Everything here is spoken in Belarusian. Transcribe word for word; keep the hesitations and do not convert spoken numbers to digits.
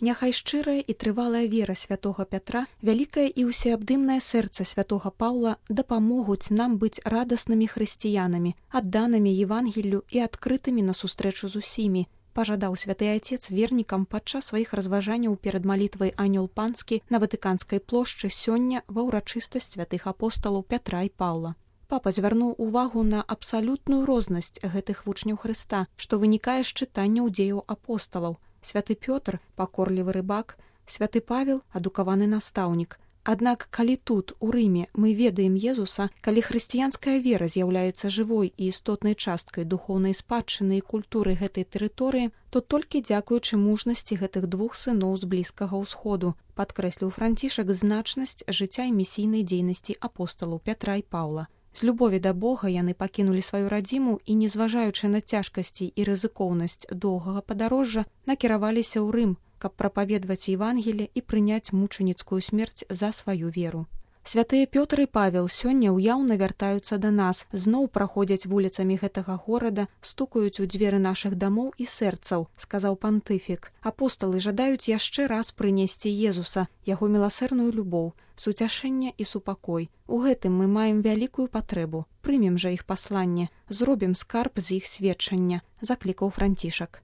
Няхай шчырая і трывалая вера святога Пятра, вялікае і ўсеабдымнае сэрца святога Паўла дапамогуць нам быць радаснымі хрысціянамі, адданымі Евангеллю і адкрытымі на сустрэчу з усімі, пажадаў святы Айцец вернікам падчас сваіх разважанняў перад малітвай Анёл Панскі на Ватыканскай плошчы сёння ва ўрачыстасць святых апосталаў Пятра і Паўла. Папа звярнуў увагу на абсалютную рознасць гэтых вучняў Хрыста, што вынікае з чытанняў дзеяў апосталаў. Святы Пётр – пакорлівы рыбак, святы Павел – адукаваны настаўнік. Аднак, калі тут, у Рыме, мы ведаем Езуса, калі хрысціянская вера з'яўляецца жывой і істотнай часткай духоўнай спадчыны і культуры гэтай тэрыторыі, то толькі дзякуючы мужнасці гэтых двух сыноў з Блізкага ўсходу, падкрэсліў Францішак значнасць жыцця і місійнай дзейнасці апосталаў Пятра і Паўла. З любові да Бога яны пакінулі сваю радзіму і, незважаючы на цяжкасці і рызыкоўнасць доўгага падарожжа, накіраваліся ў Рым, каб прапаведваць Евангелле і прыняць мучаніцкую смерць за сваю веру. Святыя Пётр і Павел сёння ўяўна вяртаюцца да нас, зноў праходзяць вуліцамі гэтага горада, стукаюць у дзверы нашых дамоў і сэрцаў, сказаў пантыфік. Апосталы жадаюць яшчэ раз прынесці Езуса, яго міласэрную любоў, суцяшэнне і супакой. У гэтым мы маем вялікую патрэбу. Прымем жа іх пасланне, зробім скарб з іх сведчання, заклікаў Францішак.